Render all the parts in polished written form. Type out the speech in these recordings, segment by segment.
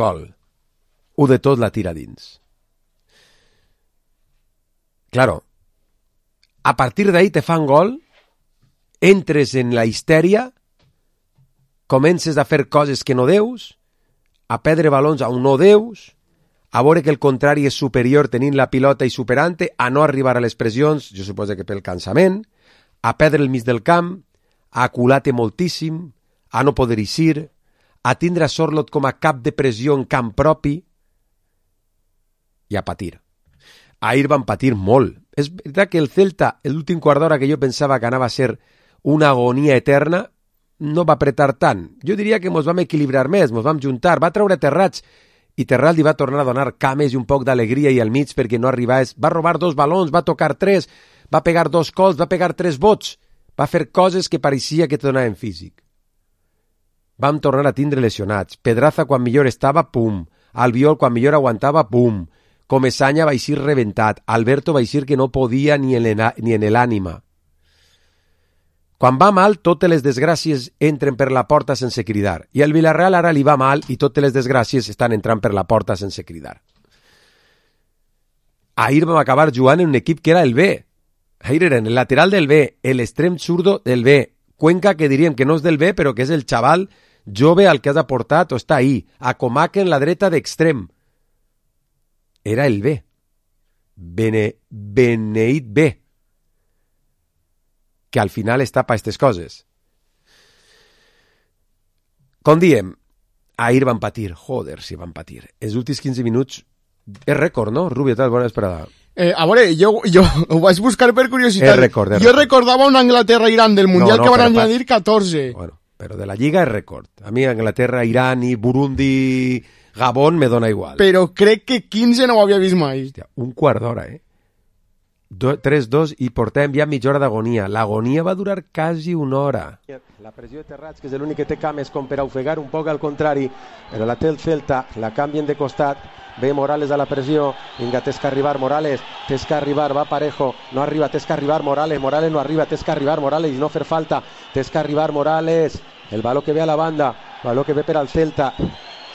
gol. Ho de tot la tira dins. Claro, a partir d'ahí te fan gol, entres en la histèria, comences a fer coses que no deus, a perdre balons on no deus, a veure que el contrari és superior tenint la pilota i superant-te, a no arribar a les pressions, jo suposo que pel cansament, a perdre el mig del camp, a acular-te moltíssim, a no poder eixir, a tindre a Sorloth com a cap de pressió en camp propi i a patir. Ahir van patir molt. És veritat que el Celta, l'últim quart d'hora que jo pensava que anava a ser una agonia eterna, no va apretar tant. Jo diria que ens vam equilibrar més, ens vam juntar, va treure Terrats i Terrat li va tornar a donar cames i un poc d'alegria i al mig perquè no arribés. Va robar 2 balons, va tocar 3, va pegar 2 cols, va pegar 3 bots, va fer coses que pareixia que te donaven físic. Vam tornar a tindre lesionats. Pedraza quan millor estava, pum. Albiol quan millor aguantava, pum. Comesaña va eixir reventat. Alberto va eixir que no podia ni en l'ànima. Quan va mal, totes les desgràcies entren per la porta sense cridar. I al Villarreal ara li va mal i totes les desgràcies estan entrant per la porta sense cridar. Ahir vam acabar jugant en un equip que era el B. Ahir era el lateral del B, l'extrem zurdo del B. Cuenca, que diríem que no és del B, però que és el xaval jove al que has aportat o està ahí. A Comaca en la dreta d'extrem. Era el B. Beneit B. Que al final està per aquestes coses. Com diem, ahir van patir. Joder, si van patir. Els últims 15 minuts és rècord, no? Rubio, tal, bona esperada. A veure, jo ho vaig buscar per curiositat. És rècord. Jo recordava un Anglaterra-Irán del Mundial que van añadir 14. Bueno, però de la Lliga és rècord. A mi Anglaterra, Irán i Burundi, Gabón me dona igual. Però crec que 15 no ho havia vist mai. Hòstia, un quart d'hora, 3-2 i portem ja mitja hora d'agonia. L'agonia va durar quasi una hora. La pressió de Terrats, que és l'únic que té cames com per a ofegar un poc al contrari, però la té el Celta, la canvien de costat, ve Morales a la pressió, vinga, tens que arribar Morales, tens que arribar, va Parejo, no arriba, tens que arribar Morales, Morales no arriba, tens que arribar Morales i no fer falta, tens que arribar Morales, el baló que ve a la banda, baló que ve per al Celta,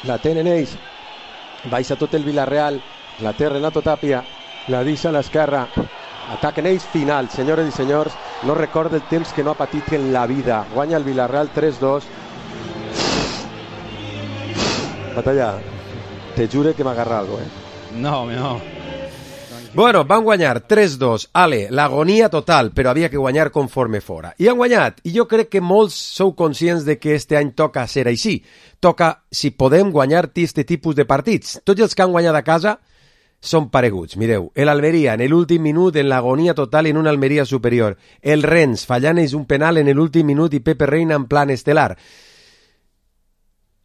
la tenen ells, baixa tot el Villarreal, la té Renato Tapia, la deixa a l'esquerra, ataquen ells, final, senyores i senyors, no recorda el temps que no ha patit en la vida, guanya el Villarreal 3-2. Batalla, te jure que m'agarra algo, No. Bueno, van guanyar 3-2, ale, l'agonia total, però havia que guanyar conforme fora. I han guanyat, i jo crec que molts sou conscients de que este any toca ser així. Toca, si podem, guanyar este tipus de partits. Tots els que han guanyat a casa són pareguts. Mireu, l'Almeria en l'últim minut en l'agonia total en una Almeria superior. El Rennes fallant és un penal en l'últim minut i Pepe Reina en plan estel·lar.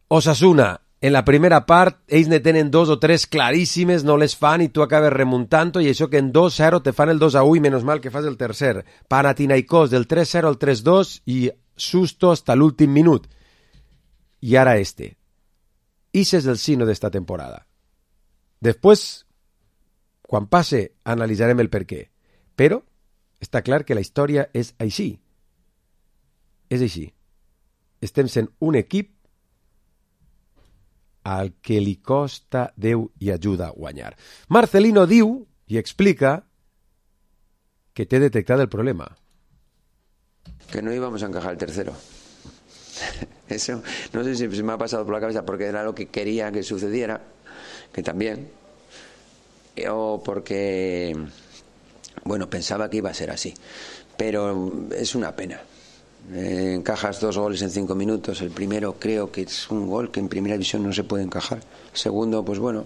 Osasuna, en la primera part, ells ne tenen 2 o 3 claríssimes, no les fan i tu acabes remuntant i això que en 2-0 te fan el 2-1 i menys mal que fas el tercer. Panathinaikos del 3-0 al 3-2 i susto hasta l'últim minut. I ara este. Ese és el signo d'esta temporada. Després, quan passe, analitzarem el per què. Però està clar que la història és així. És així. Estem sent un equip al que li costa Déu i ajuda a guanyar. Marcelino diu i explica que té detectat el problema. Que no íbamos a encajar el tercero. Eso, no sé si se me ha pasado por la cabeza porque era lo que quería que sucediera, que también, o porque, bueno, pensaba que iba a ser así. Pero es una pena. Encajas 2 goles en 5 minutos. El primero creo que es un gol que en primera división no se puede encajar. El segundo, pues bueno,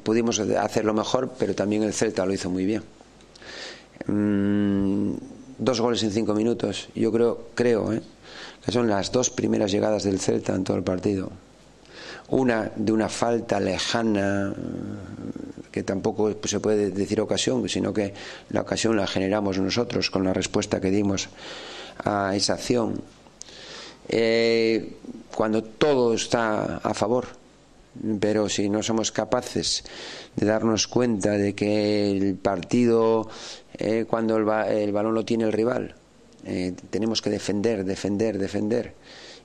pudimos hacerlo mejor, pero también el Celta lo hizo muy bien. 2 goles en 5 minutos, yo creo que son las 2 primeras llegadas del Celta en todo el partido. Una de una falta lejana, que tampoco se puede decir ocasión, sino que la ocasión la generamos nosotros con la respuesta que dimos a esa acción. Cuando todo está a favor, pero si no somos capaces de darnos cuenta de que el partido, cuando el balón lo tiene el rival, tenemos que defender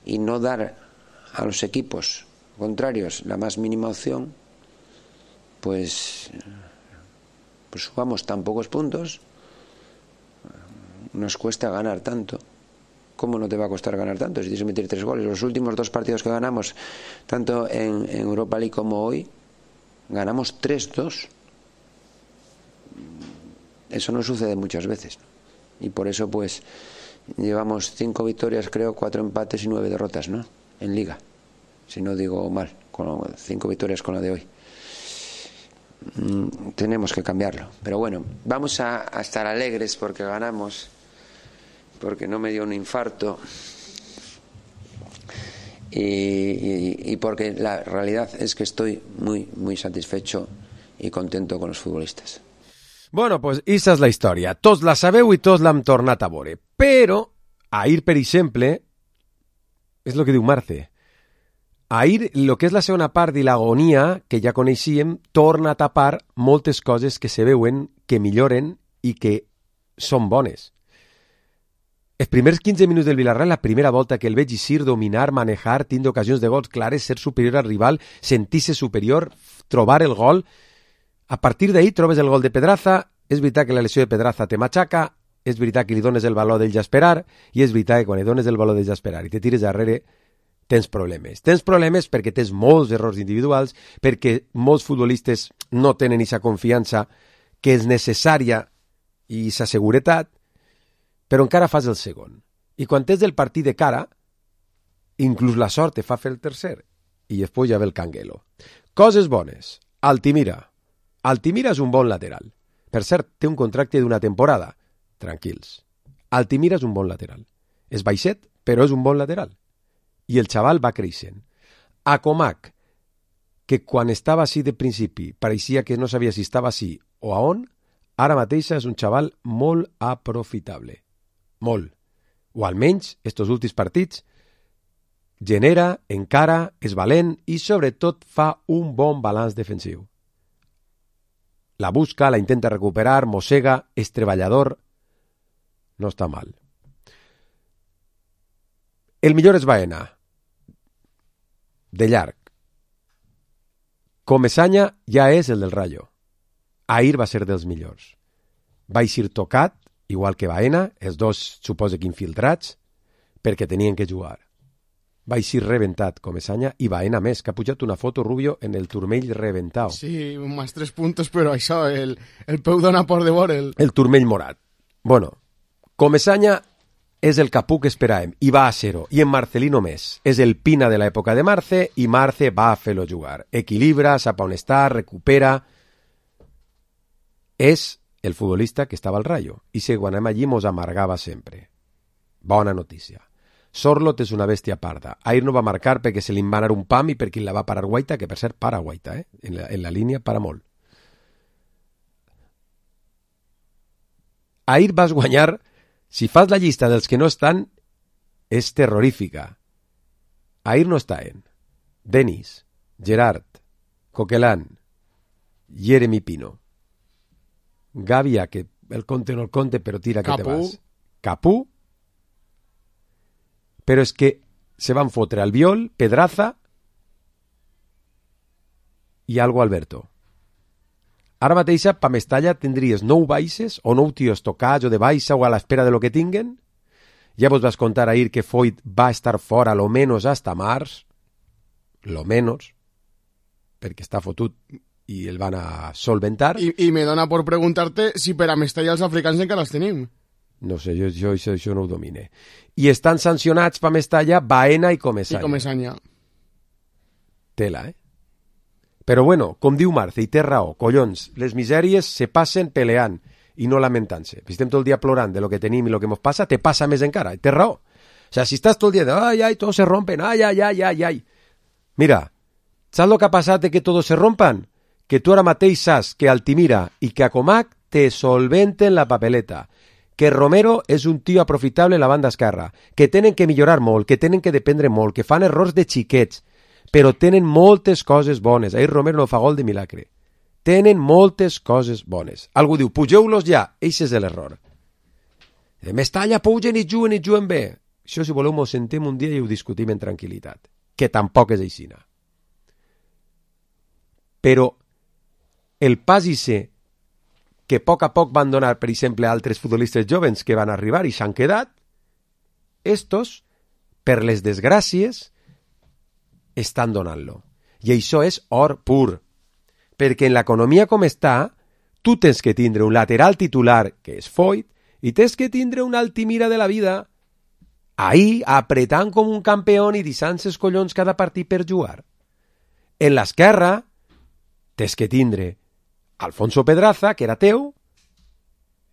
y no dar a los equipos contrarios la más mínima opción, pues jugamos tan pocos puntos, nos cuesta ganar tanto. ¿Cómo no te va a costar ganar tanto si tienes que meter 3 goles? Los últimos 2 partidos que ganamos, tanto en Europa League como hoy, ganamos 3-2. Eso no sucede muchas veces, ¿no? Y por eso pues llevamos 5 victorias, creo, 4 empates y 9 derrotas, ¿no? En Liga, si no digo mal, con 5 victorias con la de hoy. Tenemos que cambiarlo. Pero bueno, vamos a estar alegres porque ganamos, porque no me dio un infarto y porque la realidad es que estoy muy satisfecho y contento con los futbolistas. Bueno, pues esa és la història. Tots la sabeu i tots l'hem tornat a veure. Però, ahir, per exemple, és el que diu Marce, ahir, el que és la segona part de l'agonia que ja coneixíem, torna a tapar moltes coses que se veuen, que milloren i que són bones. Els primers 15 minuts del Villarreal, la primera volta que el veig eixir, dominar, manejar, tindre ocasions de gols clares, ser superior al rival, sentir-se superior, trobar el gol. A partir d'ahir trobes el gol de Pedraza, és veritat que la lesió de Pedraza te matxaca, és veritat que li dones el valor d'ell ja esperar, i és veritat que quan li dones el valor d'ell ja esperar i te tires darrere, tens problemes. Tens problemes perquè tens molts errors individuals, perquè molts futbolistes no tenen aquesta confiança que és necessària i aquesta seguretat, però encara fas el segon. I quan tens el partit de cara, inclús la sort te fa fer el tercer. I després ja ve el canguelo. Coses bones. Altimira. Altimira és un bon lateral. Per cert, té un contracte d'una temporada. Tranquils. Altimira és un bon lateral. És baixet, però és un bon lateral. I el xaval va creixent. A Comac, que quan estava així de principi pareixia que no sabia si estava així o a on, ara mateix és un xaval molt aprofitable. Molt. O almenys, estos últims partits, genera, encara, és valent i sobretot fa un bon balanç defensiu. La busca, la intenta recuperar, mossega, és treballador, no està mal. El millor és Baena. De llarg. Comesaña ja és el del Rayo. Ahir va ser dels millors. Va eixir tocat, igual que Baena, els dos suposa que infiltrats, perquè tenien que jugar. Va eixir reventat Comesaña i Baena més, que ha pujat una foto Rubio en el turmell reventau. Sí, más 3 puntos, però això, el peu dona por de veure'l. El turmell morat. Bueno, Comesaña és el capú que esperàvem, i va a ser-ho, i en Marcelino més. És el Pina de l'època de Marce, i Marce va a fer-lo jugar. Equilibra, sap on està, recupera. És el futbolista que estava al Rayo, i si quan anem allí mos amargava sempre. Bona notícia. Sorlot és una bèstia parda. Ahir no va marcar perquè se li va anar un pam i perquè la va parar Guaita, que per cert para Guaita, en la línia para molt. Ahir vas guanyar, si fas la llista dels que no estan, és terrorífica. Ahir no estaven Denis, Gerard, Coquelin, Jeremy Pino, Gavia, que el conte no el conte, però tira que te vas. Capú. Però és que se van fotre Albiol, Pedraza i algo Alberto. Ara mateix pa Mestalla tindries 9 baixes o 9 tios tocats o de baixa o a l'espera de lo que tinguen. Ja vos vas contar ahir que Foyt va estar fora lo menos hasta març, lo menos, perquè està fotut i el van a solventar. I me dona por preguntar-te si per a Mestalla els africans encara els tenim. No sé, jo això no ho domine. I estan sancionats per Mestalla Baena i Comesaña. I Comesaña. Tela, Però bueno, com diu Marce, i té raó, collons, les misèries se passen peleant i no lamentant-se. Si estem tot el dia plorant de lo que tenim i lo que ens passa, te passa més encara, té raó. O sea, si estàs tot el dia de, ay, todos se rompen, ay. Mira, saps lo que ha passat de que todos se rompan? Que tu ara mateix saps que Altimira i que a Comac te solventen la papeleta, que Romero és un tio aprofitable en la banda esquerra, que tenen que millorar molt, que tenen que dependre molt, que fan errors de xiquets, però tenen moltes coses bones. Ahir Romero no fa gol de milagre. Tenen moltes coses bones. Algú diu, pugeu-los ja. Eixe és l'error. Mestalla pugen i juguen bé. Això, si voleu, mos sentem un dia i ho discutim en tranquil·litat. Que tampoc és aixina. Però el pas ise que a poc van donar, per exemple, altres futbolistes jovens que van arribar i s'han quedat, estos, per les desgràcies, estan donant-lo. I això és or pur. Perquè en l'economia com està, tu tens que tindre un lateral titular, que és Foyt, i tens que tindre un Altimira de la vida, ahí, apretant com un campió i deixant els collons cada partit per jugar. En l'esquerra, tens que tindre Alfonso Pedraza, que era teu,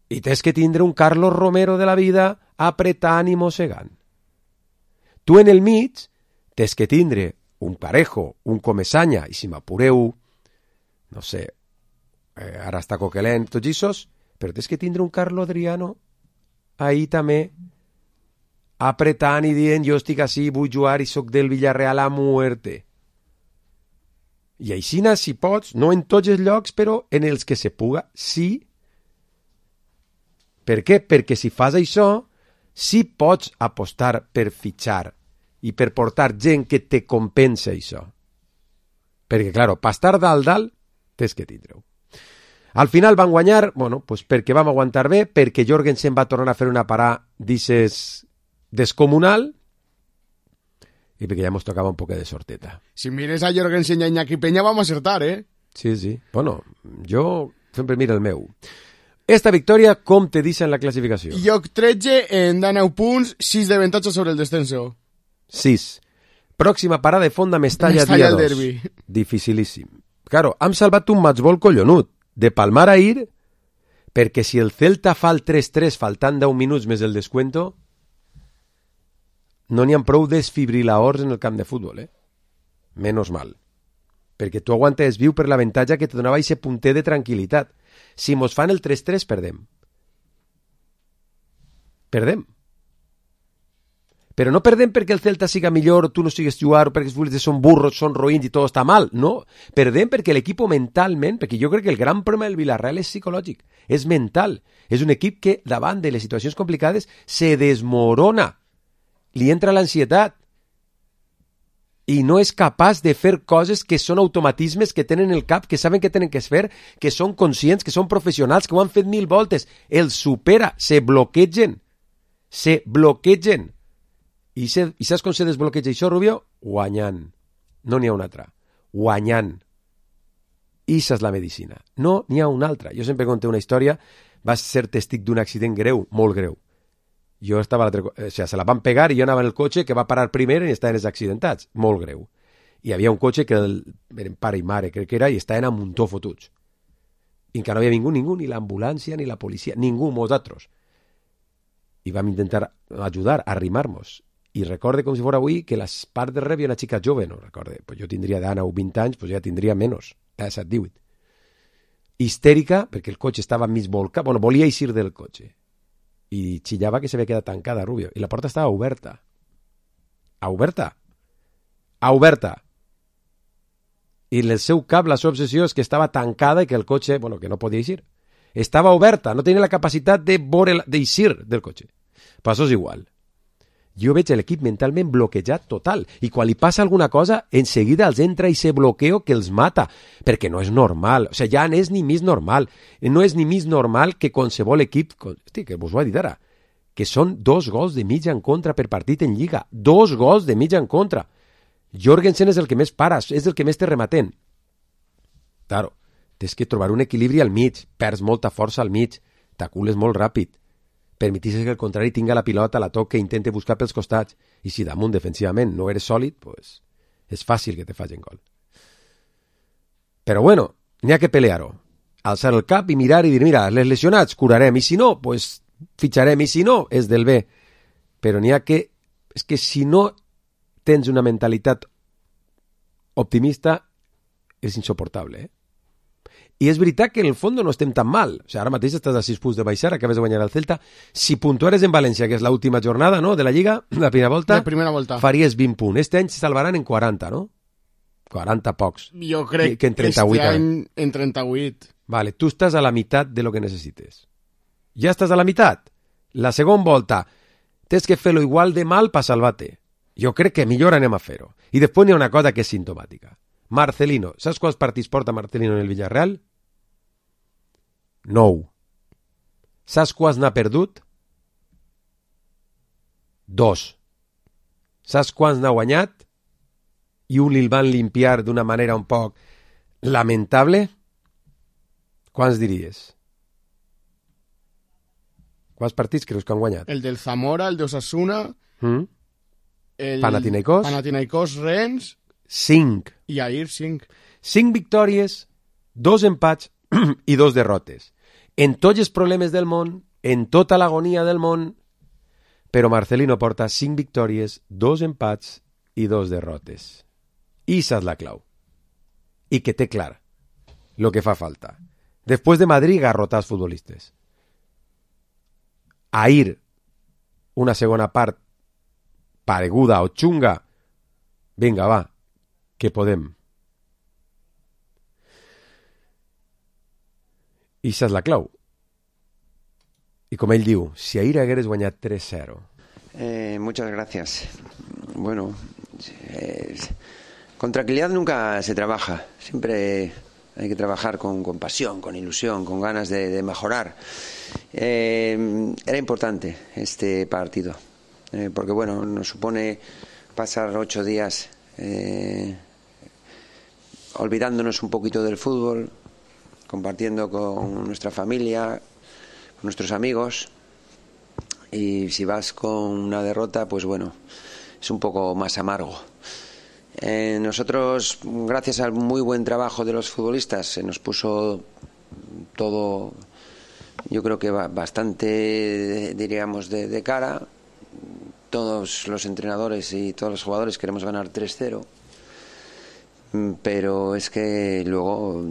i tens que tindre un Carlos Romero de la vida apretant i mossegant. Tu en el mig tens que tindre un Parejo, un Comesaña, i si m'apureu, no sé, ara està Coquelin, tots aquests, però tens que tindre un Carlos Adriano ahí també apretant i dient jo estic així, vull jugar i soc del Villarreal a muerte. I així, si pots, no en tots els llocs, però en els que se puga, sí. Per què? Perquè si fas això, sí pots apostar per fitxar i per portar gent que te compensa això. Perquè, claro, per estar dalt, tens que tindre-ho. Al final van guanyar, bueno, pues perquè vam aguantar bé, perquè Jorgensen va tornar a fer una parada, dices, descomunal, i perquè ja ens tocava un poc de sorteta. Si mires a Jorgensen i a Iñaki Peña, vam acertar, ¿eh? Sí, sí. Bueno, jo sempre miro el meu. Esta victòria, com te deixa en la classificació? Lloc 13, en 9 punts, 6 d'avantatge sobre el descenso. 6. Pròxima parada de font de Mestalla dia 2. Dificilíssim. Claro, hem salvat un matchball collonut. De palmar a ir, perquè si el Celta fa el 3-3 faltant 10 minuts més el descuento, no n'hi ha prou desfibriladors en el camp de futbol, Menos mal. Perquè tu aguantes viu per l'avantatge que te donava aquest punter de tranquil·litat. Si mos fan el 3-3, perdem. Perdem. Però no perdem perquè el Celta siga millor, tu no sigues jugar, perquè els futbolistes són burros, són roïns i tot està mal. No, perdem perquè l'equip mentalment, perquè jo crec que el gran problema del Villarreal és psicològic, és mental. És un equip que davant de les situacions complicades se desmorona. Li entra l'ansietat i no és capaç de fer coses que són automatismes que tenen el cap, que saben que tenen que fer, que són conscients, que són professionals, que ho han fet 1000 voltes. Els supera, se bloquegen. I saps com se desbloqueja això, Rubio? Guanyant. No n'hi ha una altra. Guanyant. Issa és la medicina. No n'hi ha una altra. Jo sempre conté una història. Vas ser testic d'un accident greu, molt greu. Jo estava a l'altre... O sigui, se la van pegar i jo anava en el cotxe que va parar primer i estaven els accidentats. Molt greu. I hi havia un cotxe que eren pare i mare, crec que era, i estaven a muntó fotuts. I encara no havia ningú, ni l'ambulància, ni la policia, ningú, nosaltres. I vam intentar ajudar, a arrimar-nos. I recorde com si fos avui que les parts de rebia una xica jove, no recorde, pues jo tindria d'ana o 20 anys, pues ja tindria menys, 17-18. Histèrica, perquè el cotxe estava mig volcat, bueno, volia eixir del cotxe. I xillava que s'havia quedat tancada, Rubio, i la porta estava oberta. Oberta. I en el seu cap la seva obsessió és que estava tancada i que el cotxe, bueno, que no podia eixir. Estava oberta, no tenia la capacitat d'eixir del cotxe. Però això és igual. Jo veig l'equip mentalment bloquejat total, i quan li passa alguna cosa, enseguida els entra i se bloqueo que els mata, perquè no és normal, o sigui, ja no és ni més normal, no és ni més normal que qualsevol equip, hosti, que vos ho he dit ara, que són 2 gols de mitja en contra per partit en Lliga, 2 gols de mitja en contra. Jorgensen és el que més para, és el que més té rematent. Claro, tens que trobar un equilibri al mig, perds molta força al mig, t'acules molt ràpid, permetisses que el contrari tinga la pilota, la toque, intente buscar pels costats, i si damunt defensivament no eres sòlid, pues és fàcil que te facin gol. Però bueno, n'hi ha que pelear-ho. Alçar el cap i mirar i dir, mira, les lesionats curarem, i si no, pues fitxarem, i si no, és del bé. Però n'hi ha que... És que si no tens una mentalitat optimista, és insoportable, I és veritat que en el fons no estem tan mal. O sigui, ara mateix estàs a 6 punts de baixar, acabes de guanyar el Celta. Si puntuares en València, que és l'última jornada, no?, de la Lliga, la primera volta, faries 20 punts. Este any se salvaran en 40, no? 40 pocs. Jo crec que en 38, este any en 38. Vale, tu estàs a la meitat de lo que necessites. Ja estàs a la meitat. La segona volta tens que fer-lo igual de mal per salvar-te. Jo crec que millor anem a fer-ho. I després n'hi ha una cosa que és simptomàtica. Marcelino. Saps quants partits porta Marcelino en el Villarreal? 9. Saps quants n'ha perdut? 2. Saps quants n'ha guanyat? I un el van limpiar d'una manera un poc lamentable? Quants diries? Quants partits creus que han guanyat? El del Zamora, el de Osasuna, el Panathinaikos, Rennes... 5. I ahir 5. 5 victòries, 2 empats i 2 derrotes. En tots els problemes del món, en tota l'agonia del món, però Marcelino porta 5 victòries, 2 empats i 2 derrotes. I esa és la clau. I que té clar lo que fa falta. Després de Madrid, garrotar els futbolistes. Ahir, una segona part pareguda o xunga. Vinga, va, que podem. I esa és la clau. I com ell diu, si ahir hagueres guanyat 3-0. Muchas gracias. Bueno, con tranquilidad nunca se trabaja. Siempre hay que trabajar con pasión, con ilusión, con ganas de mejorar. Era importante este partido, porque bueno, nos supone pasar 8 días olvidándonos un poquito del fútbol, compartiendo con nuestra familia, con nuestros amigos, y si vas con una derrota, pues bueno, es un poco más amargo. Nosotros, gracias al muy buen trabajo de los futbolistas, se nos puso todo, yo creo que bastante, diríamos, de cara. Todos los entrenadores y todos los jugadores queremos ganar 3-0, pero es que luego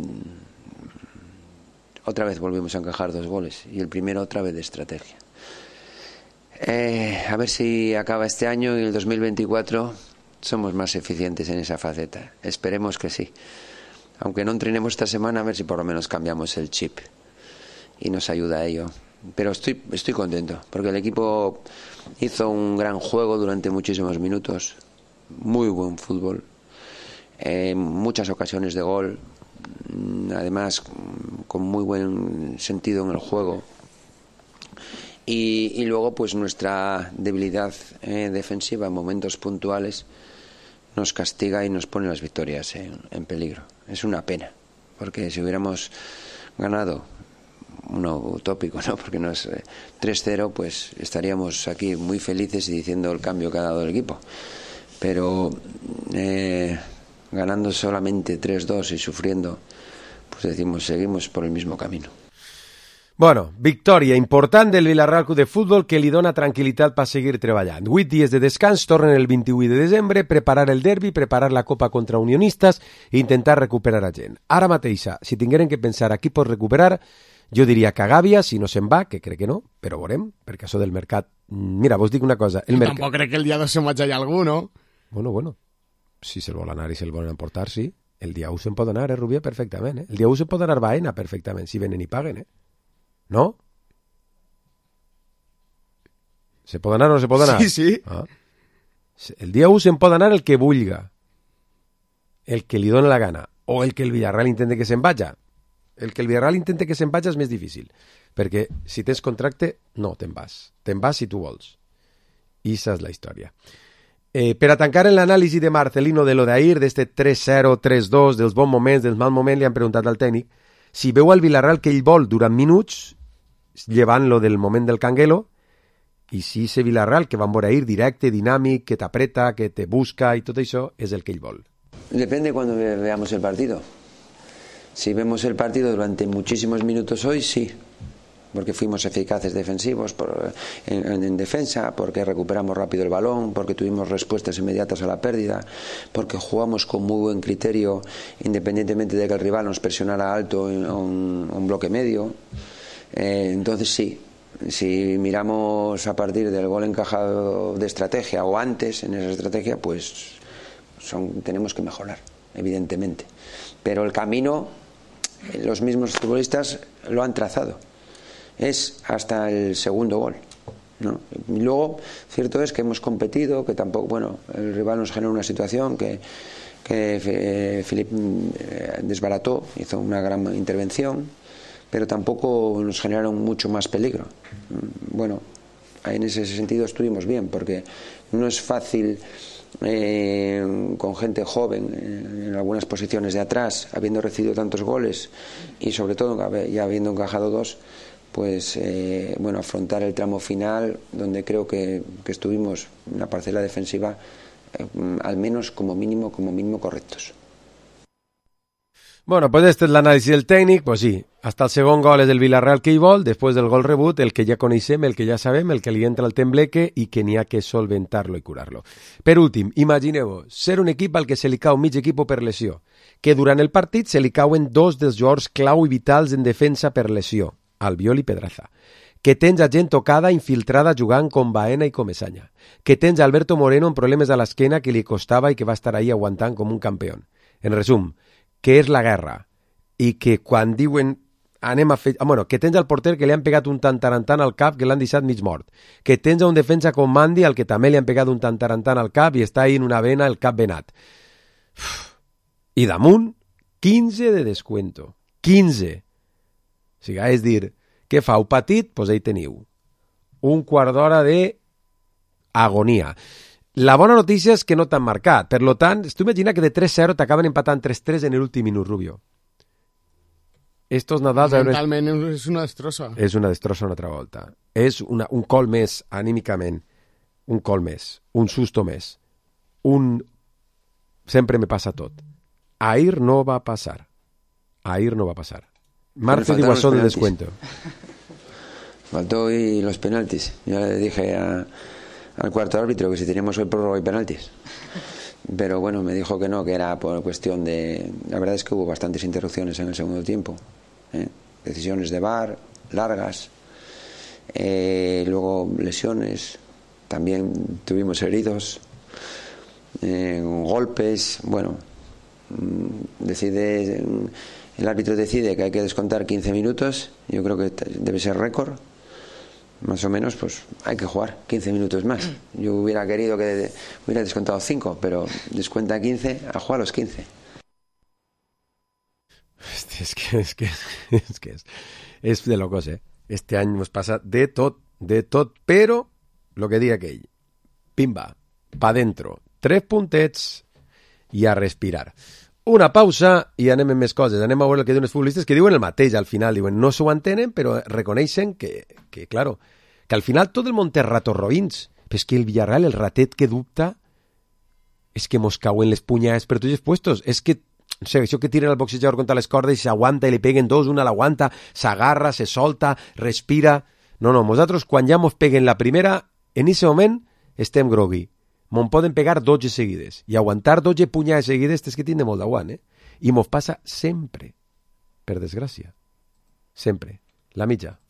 otra vez volvimos a encajar 2 goles y el primero otra vez de estrategia. A ver si acaba este año y el 2024 somos más eficientes en esa faceta. Esperemos que sí. Aunque no entrenemos esta semana, a ver si por lo menos cambiamos el chip y nos ayuda a ello. Pero estoy contento porque el equipo hizo un gran juego durante muchísimos minutos, muy buen fútbol, muchas ocasiones de gol, además con muy buen sentido en el juego. Y luego pues nuestra debilidad defensiva en momentos puntuales nos castiga y nos pone las victorias en peligro. Es una pena, porque si hubiéramos ganado, uno utópico, ¿no? Porque no es 3-0, pues estaríamos aquí muy felices y diciendo el cambio que ha dado el equipo. Pero ganando solamente 3-2 y sufriendo, pues decimos, seguimos por el mismo camino. Bueno, victòria important del Villarreal Club de Futbol que li dona tranquil·litat per seguir treballant. 8 dies de descans, tornen el 28 de desembre, preparar el derbi, preparar la Copa contra Unionistes i intentar recuperar a gent. Ara mateixa, si tingueren que pensar a qui pot recuperar, jo diria que Gàbia, si no se'n va, que crec que no, però veurem, perquè això del mercat... Mira, vos dic una cosa... Tampoc crec que el dia 2 se'n vaig allà algú, no? Bueno, si se'l vol anar i se'l volen emportar, sí. El dia 1 se'n pot anar, Rubia, perfectament. El dia 1 se'n pot anar Baena, perfectament, si venen i paguen, ¿no? ¿Se pot anar o no se pot anar? Sí. Ah. El dia 1 se'n pot anar el que vulga, el que li dona la gana, o el que el Villarreal intente que se'n vaja. El que el Villarreal intente que se'n vaja és més difícil, perquè si tens contracte, no te'n vas. Te'n vas si tu vols. I esa és la història. Per a tancar l'anàlisi de Marcelino de lo d'ahir, d'este 3-0, 3-2, dels bons moments, dels mal moments, li han preguntat al tècnic si veu al Villarreal que ell vol durant minuts, llevant-lo del moment del Canguelo, i si ese Villarreal que van veure ahir directe, dinàmic, que t'apreta, que te busca i tot això, és el que ell vol. Depende cuando veamos el partido. Si vemos el partido durante muchísimos minutos hoy, sí, porque fuimos eficaces defensivos en defensa, porque recuperamos rápido el balón, porque tuvimos respuestas inmediatas a la pérdida, porque jugamos con muy buen criterio independientemente de que el rival nos presionara alto en un bloque medio. Entonces sí, si miramos a partir del gol encajado de estrategia o antes en esa estrategia, pues tenemos que mejorar, evidentemente. Pero el camino, los mismos futbolistas lo han trazado. Es hasta el segundo gol, ¿no? Y luego, cierto es que hemos competido, que tampoco, bueno, el rival nos genera una situación que que Filip desbarató, hizo una gran intervención, pero tampoco nos generaron mucho más peligro. Bueno, en ese sentido estuvimos bien, porque no es fácil con gente joven en algunas posiciones de atrás, habiendo recibido tantos goles y sobre todo ya habiendo encajado 2, pues bueno, afrontar el tramo final, donde creo que estuvimos en la parcela defensiva al menos como mínimo correctos. Bueno, pues este es l'anàlisi del tècnic, pues sí, hasta el segon gol és del Villarreal que hi vol, després del gol rebut, el que ja coneixem, el que ja sabem, el que li entra al tembleque i que n'hi ha que solventar-lo i curar-lo. Per últim, imagineu-vos, ser un equip al que se li cau mig equip per lesió, que durant el partit se li cauen 2 dels jugadors clau i vitals en defensa per lesió, Albiol i Pedraza, que tens a gent tocada infiltrada jugant com Baena i Comesaña, que tens a Alberto Moreno amb problemes a l'esquena que li costava i que va estar ahí aguantant com un campió. En resum, que és la guerra i que quan diuen anem a fer... Bueno, que tens al porter que li han pegat un tantarantant al cap que l'han deixat mig mort, que tens a un defensa com Mandi al que també li han pegat un tantarantant al cap i està ahí en una vena el cap venat. I damunt, 15 de descuento. 15. O sigui, és dir, què fa? Un petit? Doncs ahí teniu. Un quart d'hora d'agonia. La bona notícia és que no t'han marcat. Per tant, tu imagina que de 3-0 t'acaben empatant 3-3 en l'últim minut, Rubio. Estos Nadals... Mentalment és una destrossa. És una destrossa una altra volta. És un col més, anímicament. Un col més. Un susto més. Sempre me passa tot. Ahir no va passar. Marce diu això de descuento. Faltó hoy los penaltis. Ya le dije al cuarto árbitro que si teníamos hoy prórroga y penaltis, pero bueno, me dijo que no, que era por cuestión de... La verdad es que hubo bastantes interrupciones en el segundo tiempo, decisiones de VAR largas, luego lesiones, también tuvimos heridos, golpes. Bueno, el árbitro decide que hay que descontar 15 minutos, yo creo que debe ser récord. Más o menos, pues hay que jugar 15 minutos más. Yo hubiera querido que hubiera descontado 5, pero descuenta 15, a jugar los 15. És de locos, Este any ens passa de tot, però lo que diga aquell, pimba, pa dentro, 3 puntets i a respirar. Una pausa i anem amb més coses. Anem a veure el que diuen els futbolistes, que diuen el mateix al final. Diuen, no s'ho entenen, però reconeixen que claro, que al final tot el món té ratos roïns. Però és que el Villarreal, el ratet que dubta, és que mos cauen les punyades per tots els puestos. És que, no sé, això que tiren el boxejador contra les cordes i s'aguanta i li peguen 2, una l'aguanta, s'agarra, se solta, respira... No, nosaltres quan ja mos peguen la primera, en aquest moment estem grogui. Me'n poden pegar 12 seguides. I aguantar 12 punyades seguides és que tindre molt d'aguant, I mos passa sempre. Per desgràcia. Sempre. La mitja.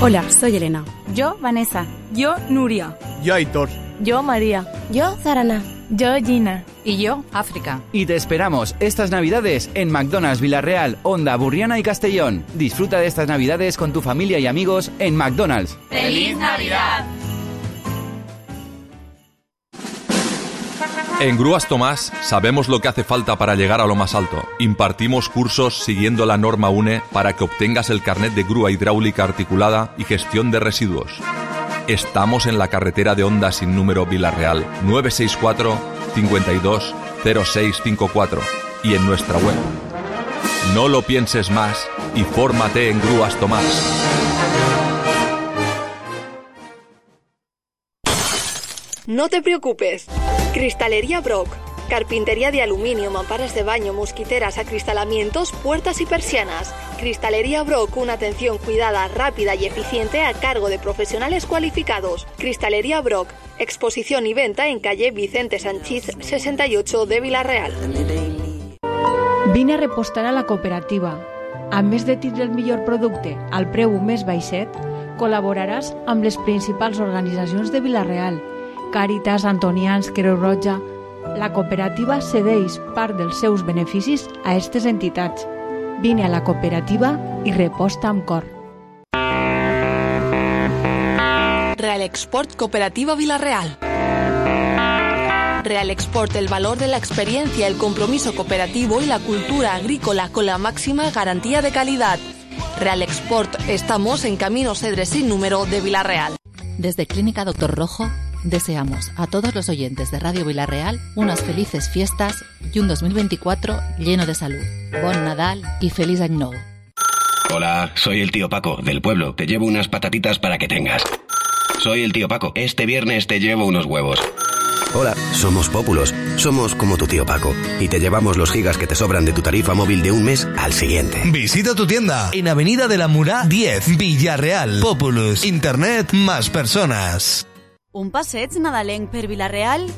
Hola, soy Elena. Yo, Vanessa. Yo, Nuria. Yo, Aitor. Yo, María. Yo, Zarana. Yo, Gina. Y yo, África. Y te esperamos estas Navidades en McDonald's Villarreal, Onda, Burriana y Castellón. Disfruta de estas Navidades con tu familia y amigos en McDonald's. ¡Feliz Navidad! En Grúas Tomás sabemos lo que hace falta para llegar a lo más alto. Impartimos cursos siguiendo la norma UNE para que obtengas el carnet de grúa hidráulica articulada y gestión de residuos. Estamos en la carretera de Onda sin número Villarreal, 964 52 0654 y en nuestra web. No lo pienses más y fórmate en Grúas Tomás. No te preocupes. Cristalería Brock. Carpintería de aluminio, mamparas de baño, mosquiteras, acristalamientos, puertas y persianas. Cristalería Brock, una atención cuidada, rápida y eficiente a cargo de profesionales cualificados. Cristalería Brock. Exposición y venta en calle Vicente Sanchís 68 de Villarreal. Vine a repostar a la cooperativa. A més de tindre el millor producte al preu més baixet, col·laboraràs amb les principals organitzacions de Villarreal, Càritas, Antonians, Creu Roja. La cooperativa cedeix part dels seus beneficis a aquestes entitats. Vine a la cooperativa i reposta amb cor. Real Export Cooperativa Villarreal. Real Export, el valor de la experiencia, el compromiso cooperativo y la cultura agrícola con la máxima garantía de calidad. Real Export, estamos en Camino Cedres sin número de Vila-real. Desde Clínica Doctor Rojo, deseamos a todos los oyentes de Radio Vila-real unas felices fiestas y un 2024 lleno de salud. Bon Nadal y feliz año nuevo. Hola, soy el tío Paco, del pueblo. Te llevo unas patatitas para que tengas. Soy el tío Paco. Este viernes te llevo unos huevos. Hola, somos Pópulos. Somos como tu tío Paco. Y te llevamos los gigas que te sobran de tu tarifa móvil de un mes al siguiente. Visita tu tienda en Avenida de la Murà 10, Villarreal. Populus. Internet más personas. Un passeig nadalenc per Vila-real?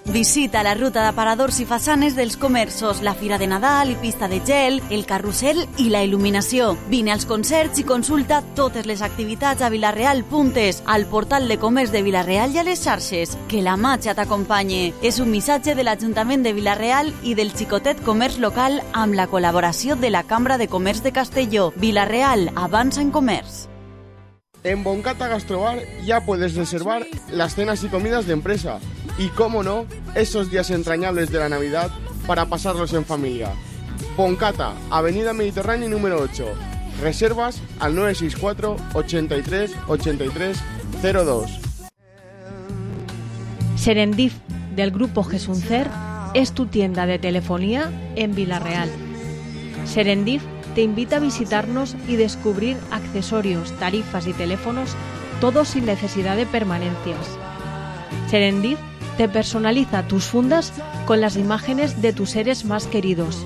Visita la ruta d'aparadors i façanes dels comerços, la Fira de Nadal i pista de gel, el carrusel i la il·luminació. Vine als concerts i consulta totes les activitats a Vila-real.es, al portal de comerç de Vila-real i a les xarxes. Que la màgia t'acompanyi. És un missatge de l'Ajuntament de Vila-real i del xicotet comerç local amb la col·laboració de la Cambra de Comerç de Castelló. Vila-real, avança en comerç. En Boncata Gastrobar ya puedes reservar las cenas y comidas de empresa. Y, cómo no, esos días entrañables de la Navidad para pasarlos en familia. Boncata, Avenida Mediterránea número 8. Reservas al 964 83 83 02. Serendip, del grupo Gesuncer, es tu tienda de telefonía en Vila-real. Serendip te invita a visitarnos y descubrir accesorios, tarifas y teléfonos, todo sin necesidad de permanencias. Serendip te personaliza tus fundas con las imágenes de tus seres más queridos.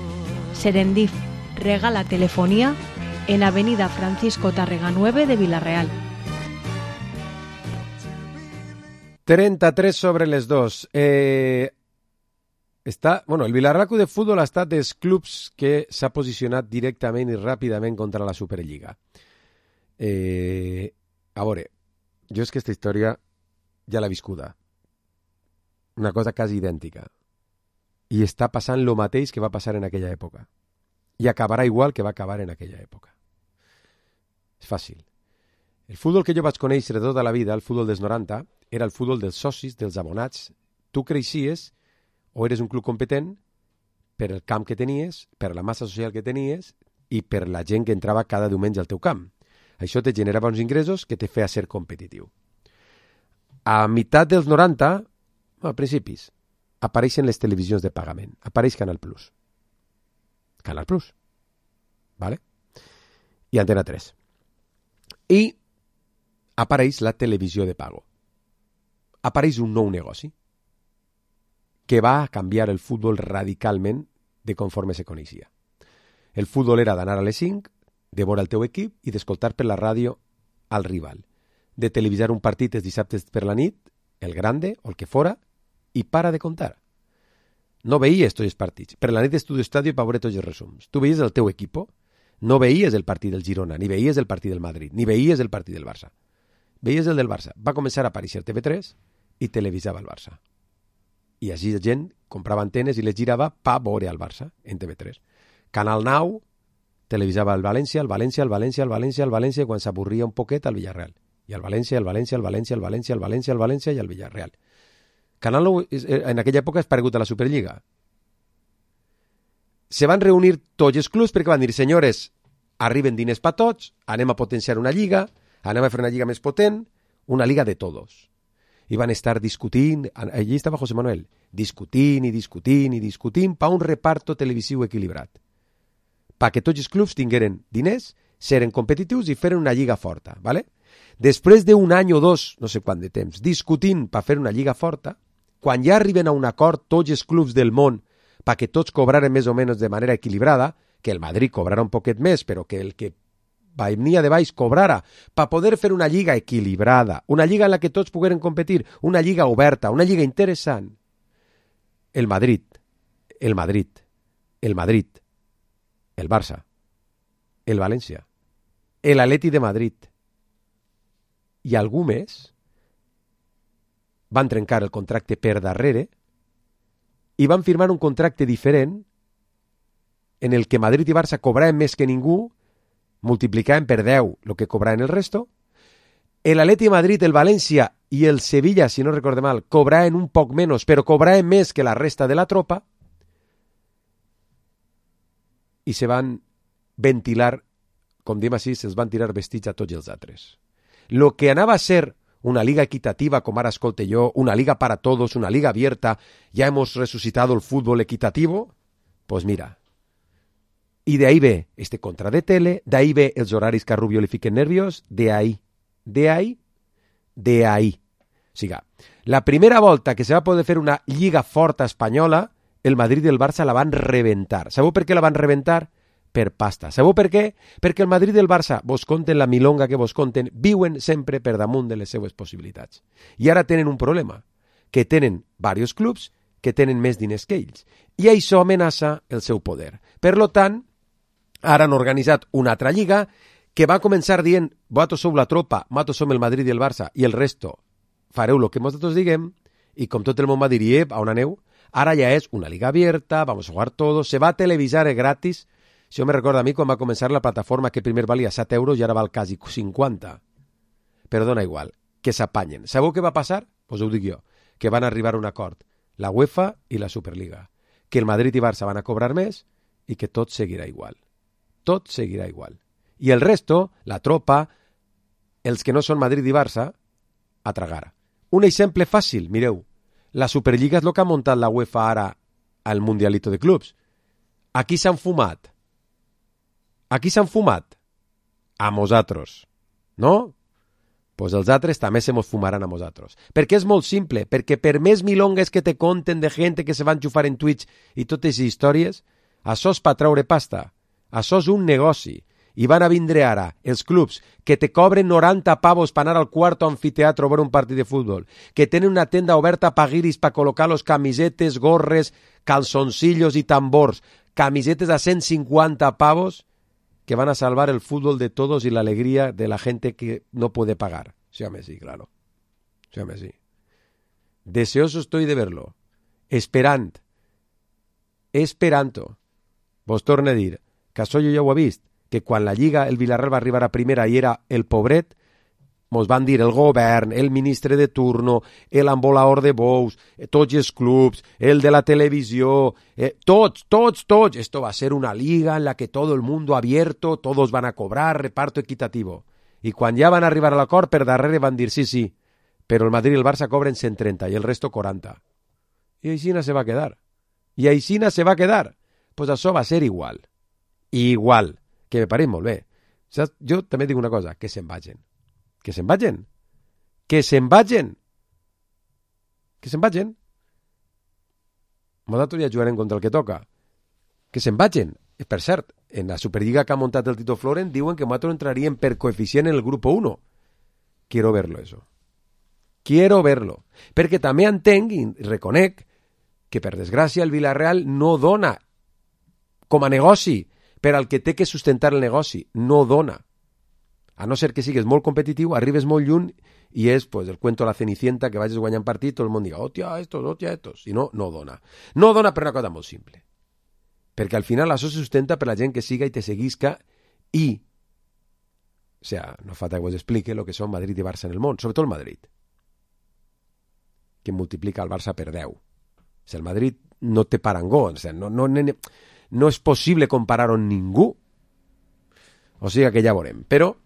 Serendip regala telefonía en Avenida Francisco Tárrega 9 de Vila-real. 33 sobre les 2. El Vila-real Club de Futbol ha estat dels clubs que s'ha posicionat directament i ràpidament contra la Superliga. A veure, jo és que aquesta història ja l'he viscuda. Una cosa quasi idèntica. I està passant lo mateix que va passar en aquella època. I acabarà igual que va acabar en aquella època. És fàcil. El futbol que jo vaig conèixer de tota la vida, el futbol dels 90, era el futbol dels socis, dels abonats. Tu creixies o eres un club competent per el camp que tenies, per la massa social que tenies i per la gent que entrava cada diumenge al teu camp. Això te generava uns ingressos que te feia ser competitiu. A meitat dels 90, a principis, apareixen les televisions de pagament. Apareix Canal Plus. Canal Plus. ¿Vale? I Antena 3. I apareix la televisió de pago. Apareix un nou negoci que va canviar el futbol radicalment de conforme se coneixia. El futbol era d'anar a les 5, de veure el teu equip i d'escoltar per la ràdio al rival, de televisar un partit els dissabtes per la nit, el grande o el que fora, i para de contar. No veies tots els partits. Per la nit d'Estudio Estadio per veure tots els resums. Tu veies el teu equip, no veies el partit del Girona, ni veies el partit del Madrid, ni veies el partit del Barça. Veies el del Barça. Va començar a aparèixer TV3 i televisava el Barça. I així la gent comprava antenes i les girava per veure el Barça en TV3. Canal 9 televisava el València, el València, el València, el València, el València, quan s'avorria un poquet al Villarreal. I el València, el València, el València, el València, el València, el València i el Villarreal. Canal 9 en aquella època és paregut a la Superliga. Se van reunir tots els clubs perquè van dir, senyores, arriben diners per tots, anem a potenciar una lliga, anem a fer una lliga més potent, una liga de todos. I van estar discutint, allí estava José Manuel, discutint per un reparto televisiu equilibrat. Perquè tots els clubs tingueren diners, seren competitius i feren una lliga forta. ¿Vale? Després d'un any o dos, no sé quant de temps, discutint per fer una lliga forta, quan ja arriben a un acord tots els clubs del món perquè tots cobraren més o menys de manera equilibrada, que el Madrid cobrara un poquet més, però que el que venia de baix cobrara, per poder fer una lliga equilibrada, una lliga en la que tots pogueren competir, una lliga oberta, una lliga interessant. El Madrid, el Barça, el València, l'Atleti de Madrid i algú més van trencar el contracte per darrere i van firmar un contracte diferent en el que Madrid i Barça cobraven més que ningú, multiplicaven per 10 el que cobraven el resto. L'Atleti de Madrid, el València i el Sevilla, si no recorde mal, cobraven un poc menys, però cobraven més que la resta de la tropa, i se van ventilar, com diem així, se'ls van tirar vestits a tots els altres. Lo que anava a ser una liga equitativa, como ahora escolte yo, una liga para todos, una liga abierta, ya hemos resucitado el fútbol equitativo, pues mira. Y de ahí ve este contra de tele, de ahí ve els horaris que a Rubio li fiquen nervios, de ahí. O sigui, la primera volta que se va poder fer una lliga forta espanyola, el Madrid i el Barça la van reventar. Sabeu per què la van reventar? Per pasta. Sabeu per què? Perquè el Madrid i el Barça, vos conten la milonga que vos conten, viuen sempre per damunt de les seues possibilitats. I ara tenen un problema, que tenen diversos clubs que tenen més diners que ells. I això amenaça el seu poder. Per lo tant, ara han organitzat una altra lliga que va començar dient, vosaltres sou la tropa, nosaltres som el Madrid i el Barça, i el resto fareu el que nosaltres diguem, i com tot el món va dir, a on aneu? Ara ja és una liga abierta, vamos a jugar todos, se va a televisar gratis. Això me recorda a mi quan va començar la plataforma que primer valia 7 euros i ara val quasi 50. Però dona igual, que s'apanyen. Sabeu què va passar? Pues ho dic jo, que van arribar a un acord, la UEFA i la Superliga, que el Madrid i Barça van a cobrar més i que tot seguirà igual. Tot seguirà igual. I el resto, la tropa, els que no són Madrid i Barça, a tragar. Un exemple fàcil, mireu, la Superliga és el que ha muntat la UEFA ara al Mundialito de Clubs. Aquí s'han fumat. Aquí s'han fumat? A nosaltres. No? Pues els altres també se mos fumaran a nosaltres. Perquè és molt simple, perquè per més milongues que te conten de gent que se van xufar en Twitch i totes les històries, això és per treure pasta. Això és un negoci. I van a vindre ara els clubs que te cobren 90 pavos per anar al quarto anfiteatro a veure un partit de futbol, que tenen una tenda oberta per guiris per col·locar los camisetes, gorres, calzoncillos i tambors, camisetes a 150 pavos, que van a salvar el fútbol de todos y la alegría de la gente que no puede pagar. Sí, claro. Sí. Deseoso estoy de verlo. Esperanto. Vos torne a dir que això jo ja ho he vist, que quan la Lliga, el Villarreal va arribar a primera i era el pobret, mos van dir el govern, el ministre de turno, l'embolaor de bous, tots els clubs, el de la televisió, tots. Esto va a ser una liga en la que todo el mundo abierto, todos van a cobrar, reparto equitativo. I quan ja van arribar a l'acord, per darrere van dir sí, però el Madrid i el Barça cobren 130 i el resto 40. I aixina se va quedar. Pues això va ser igual. Igual. Que me pareix molt bé. Saps? Jo també dic una cosa, que se'n vagin. Que se'n vagin. Nosaltres ja jugarem contra el que toca. Que se'n vagin. Per cert, en la Superliga que ha muntat el Tito Floren diuen que nosaltres entraríem per coeficient en el grupo 1. Quiero verlo, eso. Perquè també entenc i reconec que, per desgràcia, el Villarreal no dona com a negoci per al que té que sustentar el negoci. No dona. A no ser que sigues molt competitiu, arribes molt lluny i és pues, el cuento de la Cenicienta, que vagis guanyant partit, tot el món diga, hòstia, estos. I no dona. No dona per una cosa molt simple. Perquè al final això se sustenta per la gent que siga i te seguisca i, o sea, no falta que vos explique lo que són Madrid i Barça en el món, sobretot el Madrid, que multiplica el Barça per 10. O sea, el Madrid no té parangó, o sea, no és possible comparar-ho amb ningú. O sigui que ja veurem. Però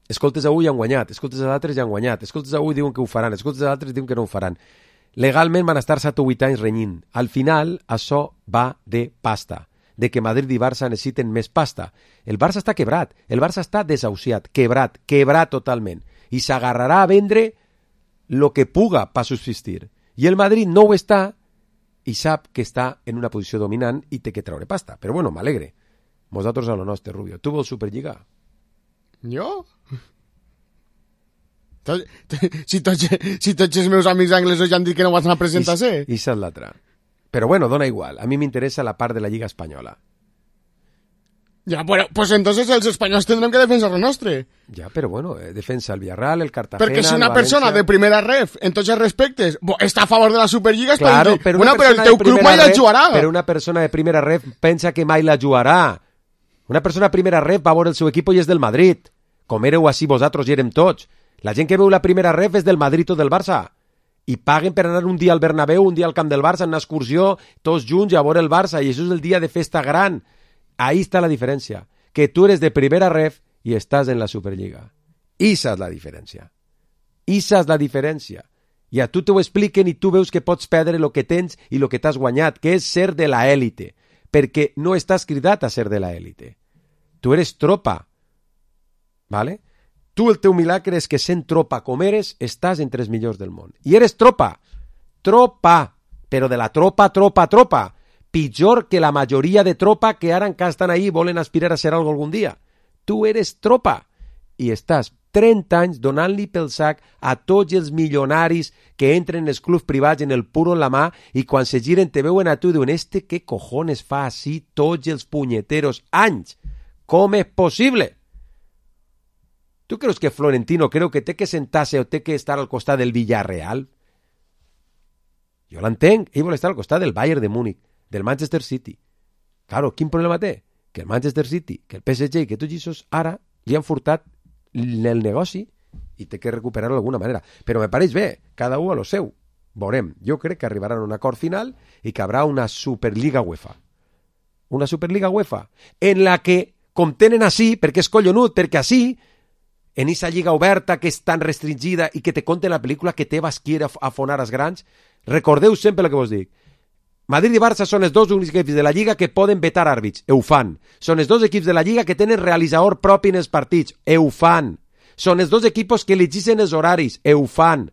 escoltes avui han guanyat, escoltes a l'altres ja han guanyat, escoltes avui diuen que ho faran, escoltes a l'altres diuen que no ho faran. Legalment van estar 7 o 8 anys renyint. Al final, això va de pasta, de que Madrid i Barça necessiten més pasta. El Barça està quebrat, el Barça està desahuciat, quebrat totalment, i s'agarrarà a vendre lo que puga per subsistir. I el Madrid no ho està i sap que està en una posició dominant i té que treure pasta. Però bueno, m'alegre. Vosaltres a lo nostre, Rubio. Tu vols Superliga? Jo? Si tots els meus amics anglesos ja han dit que no vas anar a presentar-se. I és l'altra. Però bueno, dona igual. A mi m'interessa la part de la Lliga Espanyola. Ja, bueno, pues entonces els espanyols tindrem que defensar el nostre. Ja, però bueno, defensa el Villarreal, el Cartagena, perquè si una persona de primera ref, en tots els respectes, està a favor de la Superliga, claro, però el teu club mai la jugarà. Però una persona de primera ref pensa que mai la jugarà. Una persona de primera ref va veure el seu equip i és del Madrid. Com éreu així vosaltres i érem tots. La gent que veu la primera ref és del Madrid o del Barça. I paguen per anar un dia al Bernabéu, un dia al camp del Barça, en una excursió, tots junts a veure el Barça, i això és el dia de festa gran. Ahí està la diferència. Que tu eres de primera ref i estàs en la Superliga. Esa és la diferència. Esa és la diferència. I a tu t'ho expliquen i tu veus que pots perdre el que tens i el que t'has guanyat, que és ser de la élite, perquè no estàs cridat a ser de la élite. Tu eres tropa. ¿Vale? Tu el teu milagre és que sent tropa com eres, estàs entre els millors del món. I eres tropa. Tropa. Però de la tropa. Pitjor que la majoria de tropa que ara encara estan ahí i volen aspirar a ser algo algun dia. Tu eres tropa. I estàs 30 anys donant-li pel sac a tots els milionaris que entren en els clubs privats en el puro en la mà i quan se giren te veuen a tu i diuen ¿qué cojones fa així tots els punyeteros anys? Com és possible? Tu creus que Florentino creu que té que sentar-se o té que estar al costat del Villarreal? Jo l'entenc, ell vol estar al costat del Bayern de Múnich, del Manchester City. Claro, quin problema té? Que el Manchester City, que el PSG i que tots aquests ara li han furtat el negoci i té que recuperar-lo d'alguna manera. Però me pareix bé, cada un a lo seu. Veurem, jo crec que arribaran a un acord final i que haurà una Superliga UEFA. Una Superliga UEFA en la que, com tenen així, perquè és collonut, perquè així, en aquesta lliga oberta que és tan restringida i que te conten la pel·lícula que te vas quiere afonar als grans, recordeu sempre el que vos dic. Madrid i Barça són els dos únics equips de la Lliga que poden vetar àrbits. Ho fan. Són els dos equips de la Lliga que tenen realitzador propi en els partits. Ho fan. Són els dos equips que elegeixen els horaris. Ho fan.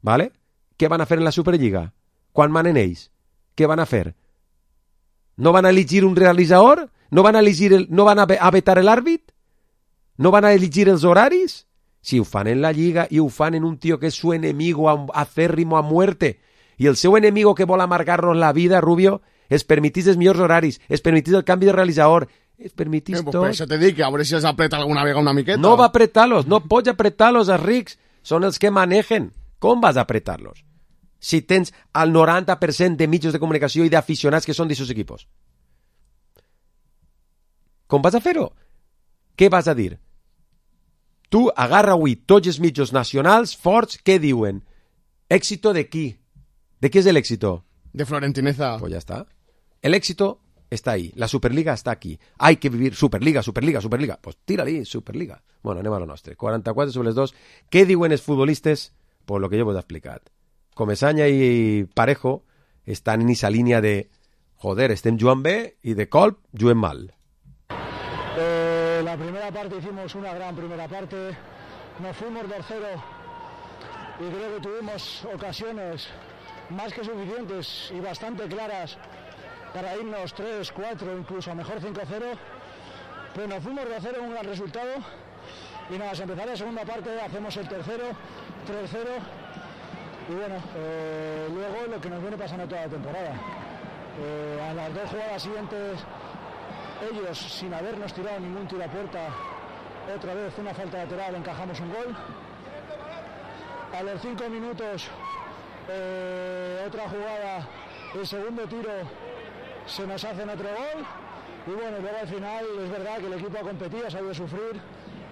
¿Vale? Què van a fer en la Superliga? Quan manen ells? Què van a fer? No van a elegir un realitzador? No van a vetar l'àrbit? No van a elegir els horaris? Si ho fan en la Lliga i ho fan en un tio que és su enemigo acérrimo a muerte i el seu enemigo que vol amargar-nos la vida, Rubio, es permitís els millors horaris, es permitís el canvi de realitzador, es permitís tot. Per això te dic, a veure si els apreta alguna vegada una miqueta. No va apretar-los, no pots apretar-los, els rics, són els que manegen. Com vas a apretar-los? Si tens el 90% de mitjans de comunicació i d'aficionats que són d'aquests equipos. Com vas a fer-ho? Què vas a dir? Tu agarra avui tots els mitjans nacionals forts, què diuen? Èxito de qui? ¿De qué es el éxito? De Florentineza. Pues ya está. El éxito está ahí. La Superliga está aquí. Hay que vivir Superliga. Pues tira-li, Superliga. Bueno, anem a lo nostre. 44 sobre les 2. Què diuen els futbolistes? Pues lo que jo vos he explicat. Comesaña i Parejo estan en esa línia de joder, estem jugant bé i de colp juguem mal. La primera parte hicimos una gran primera parte. Nos fuimos del cero y creo que tuvimos ocasiones más que suficientes y bastante claras para irnos 3, 4, incluso a mejor 5-0, pero nos fuimos de 0 un gran resultado y nada, al empezar la segunda parte hacemos el tercero, 3-0 y bueno, luego lo que nos viene pasando toda la temporada. A las dos jugadas siguientes, ellos sin habernos tirado ningún tiro a puerta, otra vez una falta lateral, encajamos un gol. A los 5 minutos otra jugada, el segundo tiro se nos hacen otro gol y bueno, luego al final es verdad que el equipo ha competido, ha sabido sufrir,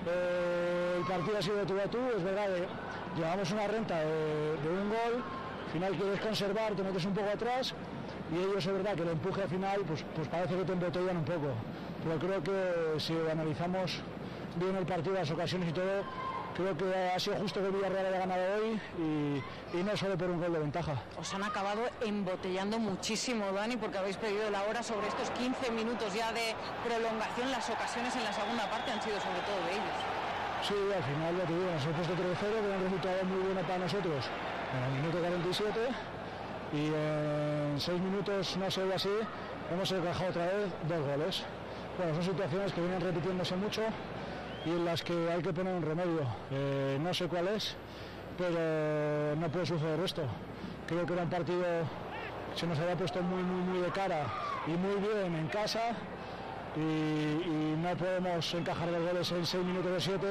el partido ha sido de tú a tú, es verdad que llevamos una renta de un gol, al final quieres conservar, te metes un poco atrás y ellos es verdad que el empuje al final pues parece que te embotellan un poco, pero creo que si analizamos bien el partido, las ocasiones y todo, creo que ha sido justo que el Villarreal haya ganado hoy y no solo por un gol de ventaja. Os han acabado embotellando muchísimo, Dani, porque habéis pedido la hora sobre estos 15 minutos ya de prolongación. Las ocasiones en la segunda parte han sido sobre todo de ellos. Sí, al final ya te digo, nos hemos puesto 3-0, que era un resultado muy bueno para nosotros en el minuto 47 y en 6 minutos, no sé, así, hemos encajado otra vez 2 goles. Bueno, son situaciones que vienen repitiéndose mucho y en las que hay que poner un remedio. No sé cuál es, pero no puede suceder esto. Creo que era un partido que se nos había puesto muy de cara y muy bien en casa y no podemos encajar los goles en 6 minutos de 7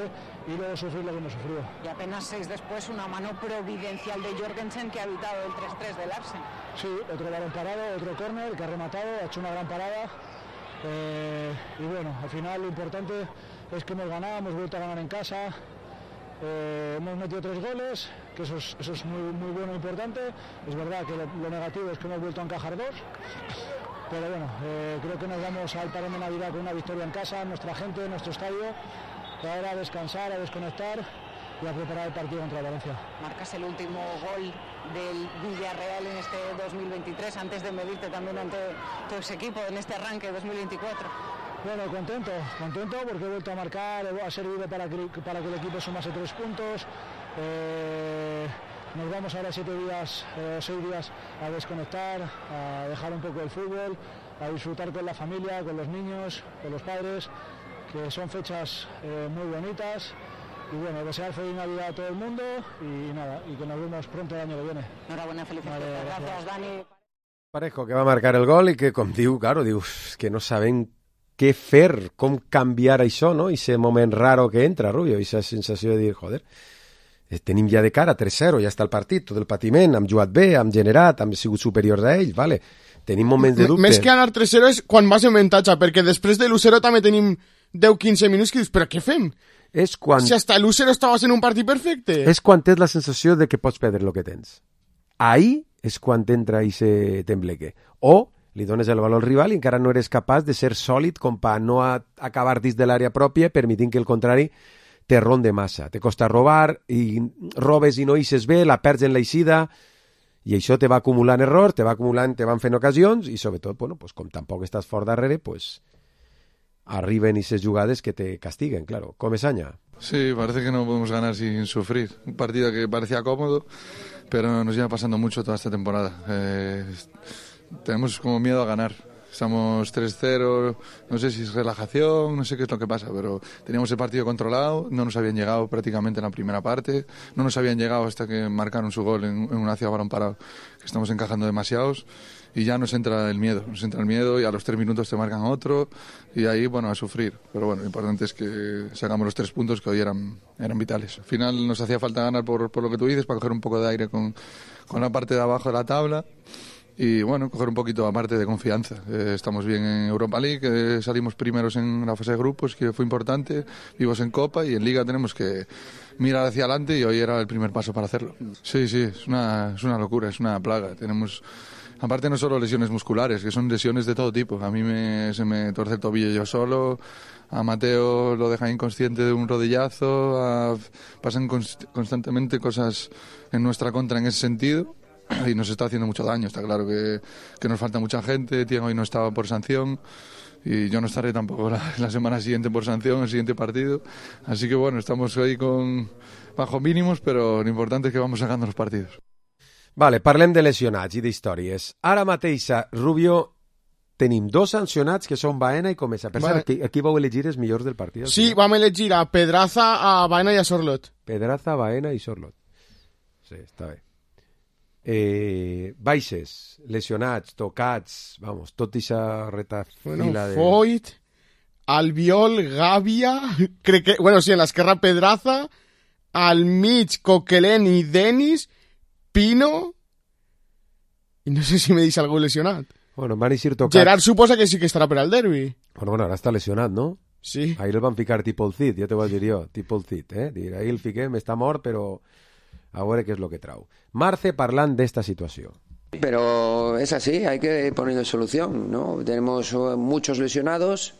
y luego sufrir lo que hemos sufrido. Y apenas 6 después una mano providencial de Jorgensen que ha evitado el 3-3 del Larsen. Sí, otro balón parado, otro córner que ha rematado, ha hecho una gran parada. Y bueno, al final lo importante es que hemos ganado, hemos vuelto a ganar en casa Hemos metido 3 goles, que eso es muy bueno e importante. Es verdad que lo negativo es que hemos vuelto a encajar 2. Pero bueno, creo que nos vamos al parón de Navidad con una victoria en casa, nuestra gente, nuestro estadio, ahora a descansar, a desconectar y a preparar el partido contra Valencia. Marcas el último gol del Villarreal en este 2023, antes de medirte también ante tu ex equipo en este arranque 2024. Bueno, contento porque he vuelto a marcar, ha servido para que el equipo sumase 3 puntos. Nos vamos ahora 6 días a desconectar, a dejar un poco el fútbol, a disfrutar con la familia, con los niños, con los padres, que son fechas muy bonitas. Y bueno, desear feliz Navidad a todo el mundo y que nos vemos pronto el año que viene. Enhorabuena, felicidades. Gracias, Dani. Parejo que va a marcar el gol i que, com diu, que no saben què fer, com canviar això, no? I ese moment raro que entra, Rubio, i esa sensació de dir, joder, tenim ja de cara 3-0, ja està el partit, tot el patiment, hem jugat bé, hem generat, hem sigut superiors a ells, vale. Tenim moments de dubte. Més que anar 3-0 és quan vas en avantatge, perquè després de l'1-0 també tenim 10-15 minuts que dius, però què fem? És quan... Si hasta l'1-0 estaves en un partit perfecte. És quan tens la sensació de que pots perdre el que tens. Ahí és quan t'entra ese tembleque. O li dones el valor al rival i encara no eres capaç de ser sòlid com per no acabar dins de l'àrea pròpia, permitint que el contrari te ronde massa. Te costa robar, i robes i no eixes bé, la perds en l'eixida, i això te va acumulant errors, te van fent ocasions, i sobretot, bueno, pues, com tampoc estàs fort darrere, pues, arriben esas jugadas que te castiguen, claro. Comesaña. Sí, parece que no podemos ganar sin sufrir. Un partido que parecía cómodo, pero nos lleva pasando mucho toda esta temporada. Tenemos como miedo a ganar. Estamos 3-0, no sé si es relajación, no sé qué es lo que pasa, pero teníamos el partido controlado, no nos habían llegado prácticamente en la primera parte, no nos habían llegado hasta que marcaron su gol en una ciudad balón parado, que estamos encajando demasiados, y ya nos entra el miedo y a los 3 minutos te marcan otro, y ahí, bueno, a sufrir. Pero bueno, lo importante es que sacamos los 3 puntos que hoy eran vitales. Al final nos hacía falta ganar por lo que tú dices, para coger un poco de aire con la parte de abajo de la tabla, y bueno, coger un poquito aparte de confianza. Estamos bien en Europa League, salimos primeros en la fase de grupos, que fue importante, vivos en Copa, y en Liga tenemos que mirar hacia adelante, y hoy era el primer paso para hacerlo. Sí, es una locura, es una plaga. Tenemos, aparte, no solo lesiones musculares, que son lesiones de todo tipo. A mí se me torce el tobillo yo solo, a Mateo lo deja inconsciente de un rodillazo, pasan constantemente cosas en nuestra contra en ese sentido, y nos está haciendo mucho daño. Está claro que nos falta mucha gente. Tiago hoy no estaba por sanción, y yo no estaré tampoco la semana siguiente por sanción, el siguiente partido. Así que bueno, estamos ahí bajo mínimos, pero lo importante es que vamos sacando los partidos. Vale, parlem de lesionats i d'històries. Ara mateix, Rubio, tenim 2 sancionats que són Baena i Comesa. Per cert, aquí vau elegir els millors del partit? Sí, vam elegir a Pedraza, a Baena i a Sorlot. Pedraza, Baena i Sorlot. Sí, està bé. Baixes, lesionats, tocats, vamos, tot ixa retafila de... Foyt, Albiol, Gàbia, crec que, bueno, sí, en l'esquerra Pedraza, al mig Coquelin i Denis, Pino, i no sé si me deixa algú lesionat. Bueno, van eixir tocats. Gerard suposa que sí que estarà per al derbi. Bueno, ara està lesionat, no? Sí. Ahir el van ficar tipus el Cid, ja te ho vaig dir jo, tipus el Cid, ahir el fiquem, està mort, però... a veure qué es lo que trau. Marce, parlant d'esta situació. Pero es así, hay que poner solución, ¿no? Tenemos muchos lesionados,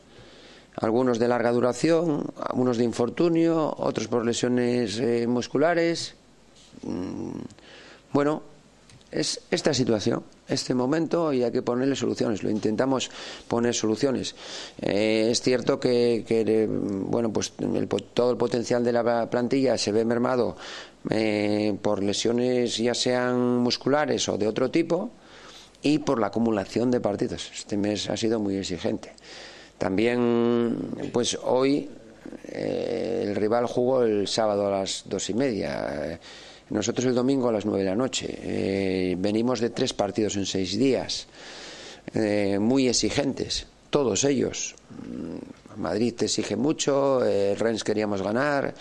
algunos de larga duración, algunos de infortunio, otros por lesiones musculares. Bueno, es esta situación, este momento, y hay que ponerle soluciones. Lo intentamos poner soluciones. Es cierto que bueno, pues todo el potencial de la plantilla se ve mermado por lesiones ya sean musculares o de otro tipo, y por la acumulación de partidos. Este mes ha sido muy exigente. También, pues hoy el rival jugó el sábado a las 2:30. Nosotros el domingo a las 9 de la noche. Venimos de 3 partidos en 6 días, muy exigentes, todos ellos. Madrid te exige mucho, Rennes queríamos ganar,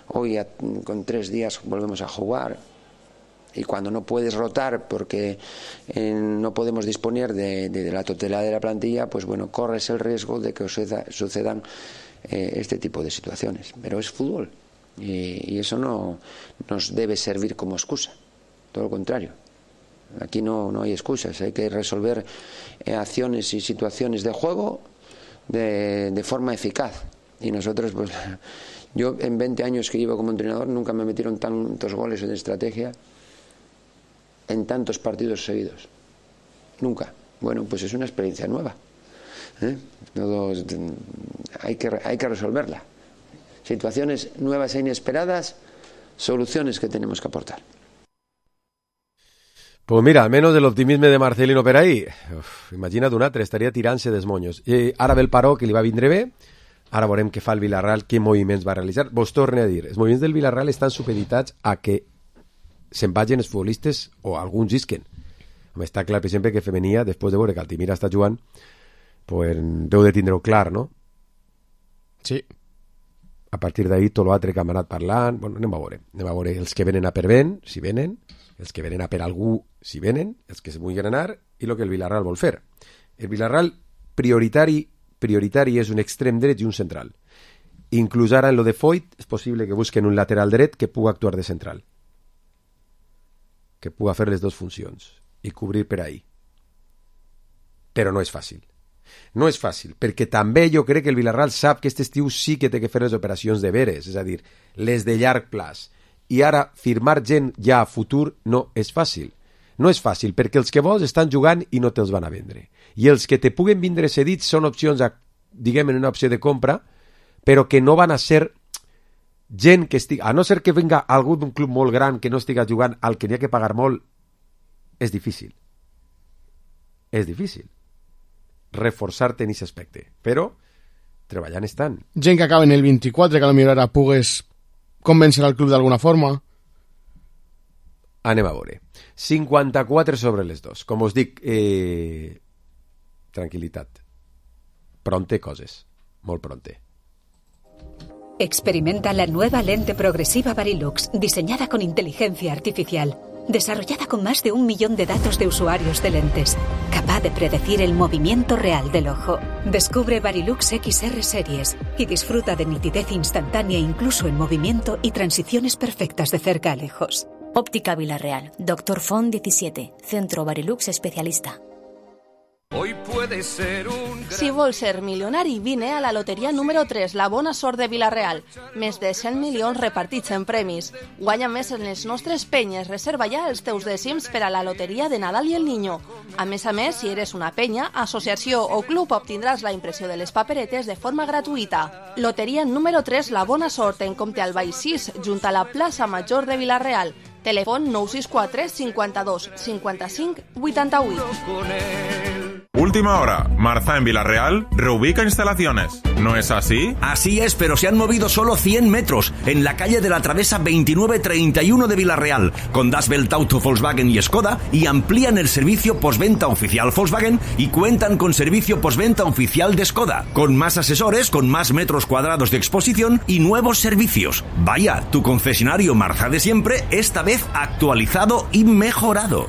hoy con 3 días volvemos a jugar. Y cuando no puedes rotar porque no podemos disponer de la totalidad de la plantilla, pues bueno, corres el riesgo de que sucedan este tipo de situaciones. Pero es fútbol. Y eso no nos debe servir como excusa, todo lo contrario. Aquí no hay excusas, hay que resolver acciones y situaciones de juego de forma eficaz. Y nosotros, pues, yo en 20 años que llevo como entrenador nunca me metieron tantos goles en estrategia en tantos partidos seguidos. Nunca. Bueno, pues es una experiencia nueva. Hay que resolverla. Situaciones nuevas e inesperadas, soluciones que tenemos que aportar. Pues mira, almenys l'optimisme de Marcelino per ahí. Imagina't un altre, estaria tirant-se dels monyos. Ara ve el paró, que li va vindre bé. Ara veurem què fa el Villarreal, què moviments va realitzar. Vos torne a dir, els moviments del Villarreal estan supeditats a que se'n vagin els futbolistes o alguns isquen. Està clar, per exemple, que Femenia, després de veure que Altimira està jugant, pues, deu de tindre-ho clar, no? Sí. A partir d'ahí, tot l'altre que hem anat parlant, bueno, anem a veure els que venen a per vent, si venen, els que venen a per algú, si venen, els que se vulguin anar, i el que el Villarreal vol fer. El Villarreal prioritari és un extrem dret i un central. Inclús ara en lo de Foyt és possible que busquen un lateral dret que pugui actuar de central, que pugui fer les dues funcions i cobrir per ahí. Però no és fàcil. No és fàcil, perquè també jo crec que el Villarreal sap que aquest estiu sí que té que fer les operacions de veres, és a dir, les de llarg plaç. I ara firmar gent ja a futur no és fàcil. No és fàcil, perquè els que vols estan jugant i no te'ls van a vendre. I els que te puguen vindre cedits són opcions, diguem, en una opció de compra, però que no van a ser gent que estigui... A no ser que venga algú d'un club molt gran que no estiga jugant al que n'hi ha que pagar molt, és difícil. És difícil reforçar-te en aquest aspecte. Però treballant estan. Gent que acaba en el 24, que a la millor ara pugues convèncer al club d'alguna forma. Anem a veure. 54 sobre les 2. Com us dic, tranquil·litat. Pronte coses. Molt pronte. Experimenta la nueva lente progresiva Varilux, diseñada con inteligencia artificial, desarrollada con más de 1 millón de datos de usuarios de lentes, capaz de predecir el movimiento real del ojo. Descubre Varilux XR Series y disfruta de nitidez instantánea incluso en movimiento y transiciones perfectas de cerca a lejos. Óptica Villarreal, Dr. Font 17, Centro Varilux Especialista. Hoy puede ser un... Si vols ser milionari, vine a la loteria número 3, la bona sort de Villarreal. Més de 100 milions repartits en premis. Guanya més en les nostres penyes. Reserva ja els teus dècims per a la loteria de Nadal i el Niño. A més, si eres una penya, associació o club, obtindràs la impressió de les paperetes de forma gratuïta. Loteria número 3, la bona sort, en Comte Albay 6, junt a la plaça Major de Villarreal. Telèfon 964 52 55 88. Última hora. Marza en Villarreal reubica instalaciones. ¿No es así? Así es, pero se han movido solo 100 metros en la calle de la Travesa 2931 de Villarreal, con Das Welt Auto Volkswagen y Skoda, y amplían el servicio postventa oficial Volkswagen y cuentan con servicio postventa oficial de Skoda, con más asesores, con más metros cuadrados de exposición y nuevos servicios. Vaya, tu concesionario Marza de siempre, esta vez actualizado y mejorado.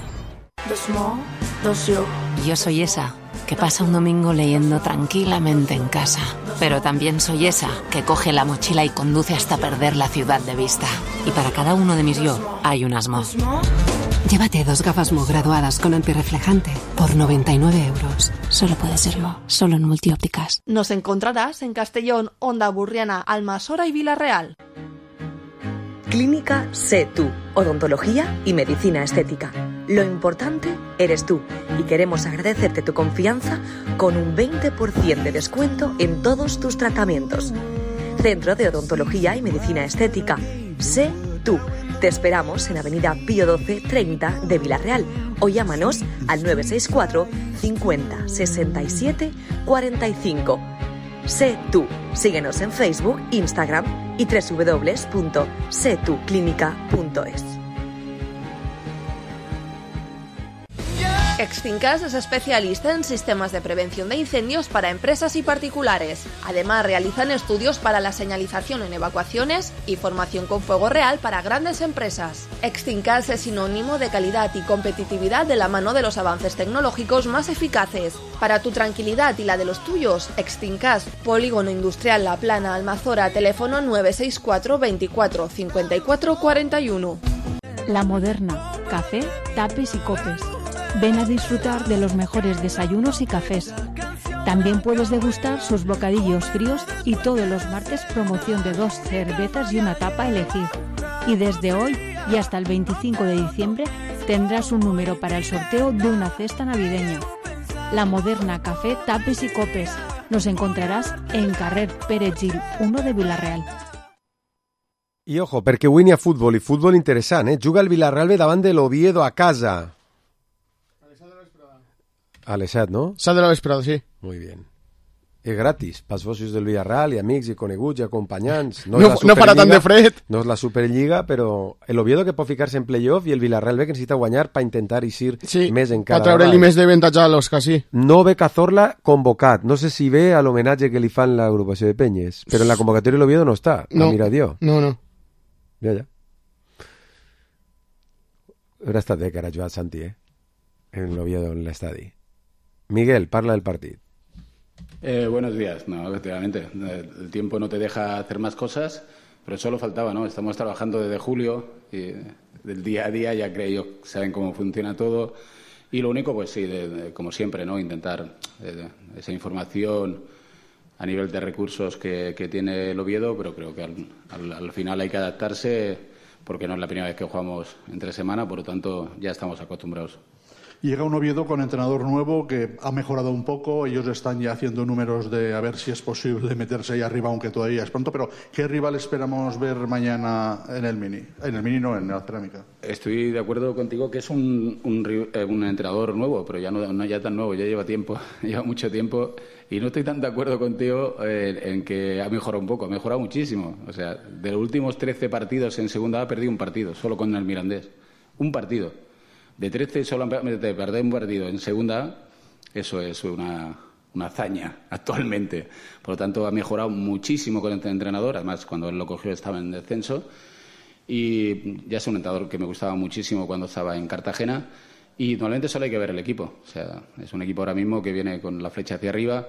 Yo soy esa que pasa un domingo leyendo tranquilamente en casa, pero también soy esa que coge la mochila y conduce hasta perder la ciudad de vista. Y para cada uno de mis yo hay un Asmo. Llévate 2 gafas Mo graduadas con antirreflejante por 99 euros. Solo puede ser Mo, solo en Multiópticas. Nos encontrarás en Castellón, Onda Burriana, Almasora y Villarreal. Clínica Sé Tú, odontología y medicina estética. Lo importante eres tú y queremos agradecerte tu confianza con un 20% de descuento en todos tus tratamientos. Centro de Odontología y Medicina Estética. Sé Tú. Te esperamos en Avenida Pío 12 30 de Villarreal o llámanos al 964 50 67 45. Sé Tú. Síguenos en Facebook, Instagram y www.setuclinica.es. Extincas es especialista en sistemas de prevención de incendios para empresas y particulares. Además, realizan estudios para la señalización en evacuaciones y formación con fuego real para grandes empresas. Extincas es sinónimo de calidad y competitividad de la mano de los avances tecnológicos más eficaces. Para tu tranquilidad y la de los tuyos, Extincas, Polígono Industrial La Plana, Almazora, teléfono 964 24 54 41. La Moderna, café, tapes y copes. Ven a disfrutar de los mejores desayunos y cafés. También puedes degustar sus bocadillos fríos y todos los martes promoción de 2 cervezas y una tapa a elegir. Y desde hoy y hasta el 25 de diciembre tendrás un número para el sorteo de una cesta navideña. La Moderna, café, tapes y copes. Nos encontraràs en carrer Pere Gil 1 de Vila-real. I ojo, perquè avui n'hi ha futbol, i futbol interessant, Juga el Villarreal B davant de l'Oviedo a casa. A les 7, no? 7 de la vesprada, sí. Muy bien. És gratis, pels socis del Villarreal, i amics, i coneguts, i acompanyants. No farà tant de fred. No és la Superliga, però l'Oviedo que pot ficar-se en playoff i el Villarreal B que necessita guanyar per intentar eixir més encara. Per treure-li més d'avantatge a l'Oscar, sí. No ve Cazorla convocat. No sé si ve a l'homenatge que li fan l'agrupació de Penyes, però en la convocatòria l'Oviedo no està. No, no. Ja. Hauria estat bé que ara jugat Santi, en l'Oviedo, en l'estadi. Miguel, parla del partido. Buenos días. No, efectivamente, el tiempo no te deja hacer más cosas, pero solo faltaba, ¿no? Estamos trabajando desde julio y del día a día ya creo que saben cómo funciona todo y lo único, pues sí, como siempre, ¿no? Intentar esa información a nivel de recursos que tiene el Oviedo, pero creo que al final hay que adaptarse porque no es la primera vez que jugamos entre semana, por lo tanto ya estamos acostumbrados. Llega un Oviedo con entrenador nuevo que ha mejorado un poco. Ellos están ya haciendo números de a ver si es posible meterse ahí arriba, aunque todavía es pronto. Pero, ¿qué rival esperamos ver mañana en el Mini? En el Mini no, en la Cerámica. Estoy de acuerdo contigo que es un entrenador nuevo, pero ya no ya tan nuevo, ya lleva tiempo, lleva mucho tiempo. Y no estoy tan de acuerdo contigo en que ha mejorado un poco, ha mejorado muchísimo. O sea, de los últimos 13 partidos en segunda ha perdido un partido, solo con el Mirandés. Un partido. De 13 solamente perder un partido en segunda A, eso es una hazaña actualmente. Por lo tanto, ha mejorado muchísimo con este entrenador. Además, cuando él lo cogió estaba en descenso. Y ya es un entrenador que me gustaba muchísimo cuando estaba en Cartagena. Y normalmente solo hay que ver el equipo. O sea, es un equipo ahora mismo que viene con la flecha hacia arriba.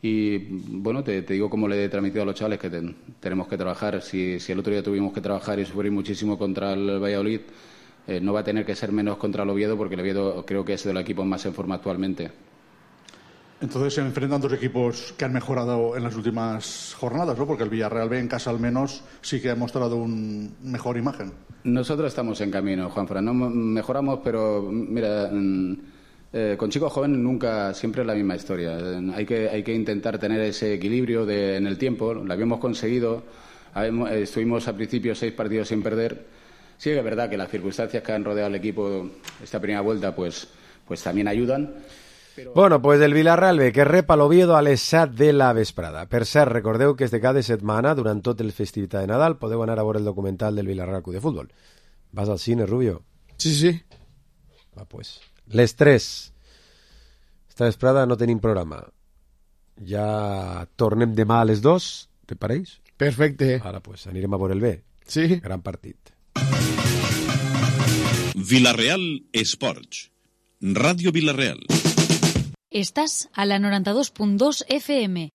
Y bueno, te digo como le he transmitido a los chavales que tenemos que trabajar. Si el otro día tuvimos que trabajar y sufrir muchísimo contra el Valladolid, no va a tener que ser menos contra el Oviedo, porque el Oviedo creo que es de los equipos más en forma actualmente. Entonces se enfrentan dos equipos que han mejorado en las últimas jornadas, ¿no? Porque el Villarreal B en casa al menos sí que ha mostrado una mejor imagen. Nosotros estamos en camino, Juanfran. No mejoramos, pero mira, con chicos jóvenes nunca, siempre es la misma historia. Hay que intentar tener ese equilibrio en el tiempo. Lo habíamos conseguido. Estuvimos al principio 6 partidos sin perder. Sí que es verdad que las circunstancias que han rodeado al equipo esta primera vuelta pues también ayudan. Però... Bueno, pues el Villarreal B que rep a l'Oviedo a les 7 de la vesprada. Per cert, recordeu que és de cada setmana, durant tot el festivitat de Nadal, podeu anar a veure el documental del Villarreal Club de Futbol. Vas al cine, Rubio? Sí. Va, pues. Les 3. Esta vesprada no tenim programa. Ja tornem demà a les 2, te pareix? Perfecte. Ara, pues, anirem a veure el B. Sí. Gran partit. Villarreal Sports. Radio Villarreal. Estás a la 92.2 FM.